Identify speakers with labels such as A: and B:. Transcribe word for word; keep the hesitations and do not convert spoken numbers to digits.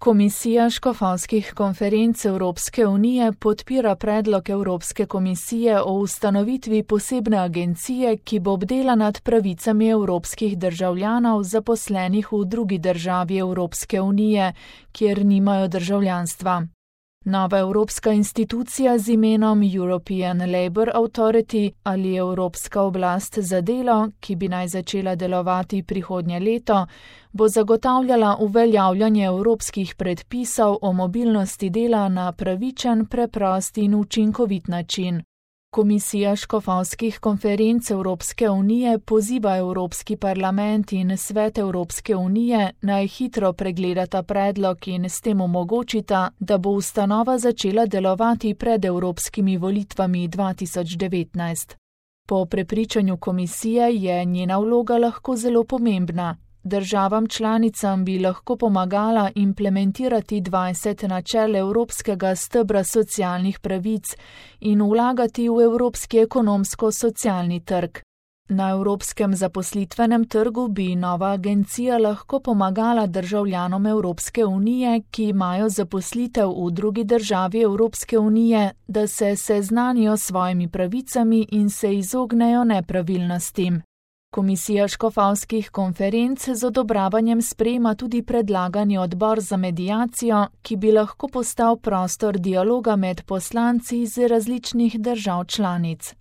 A: Komisija škofovskih konferenc Evropske unije podpira predlog Evropske komisije o ustanovitvi posebne agencije, ki bo bdela nad pravicami evropskih državljanov zaposlenih v drugi državi Evropske unije, kjer nimajo državljanstva. Nova evropska institucija z imenom European Labour Authority ali Evropska oblast za delo, ki bi naj začela delovati prihodnje leto, bo zagotavljala uveljavljanje evropskih predpisov o mobilnosti dela na pravičen, preprost in učinkovit način. Komisija škofovskih konferenc Evropske unije poziva Evropski parlament in Svet Evropske unije naj hitro pregledata predlog in s tem omogočita, da bo ustanova začela delovati pred evropskimi volitvami dva tisoč devetnajst. Po prepričanju komisije je njena vloga lahko zelo pomembna. Državam članicam bi lahko pomagala implementirati dvajset načel evropskega stebra socialnih pravic in vlagati v evropski ekonomsko-socialni trg. Na evropskem zaposlitvenem trgu bi nova agencija lahko pomagala državljanom Evropske unije, ki imajo zaposlitev v drugi državi Evropske unije, da se seznanijo s svojimi pravicami in se izognejo nepravilnostim. Komisija škofovskih konferenc z odobravanjem sprejema tudi predlagani odbor za mediacijo, ki bi lahko postal prostor dialoga med poslanci iz različnih držav članic.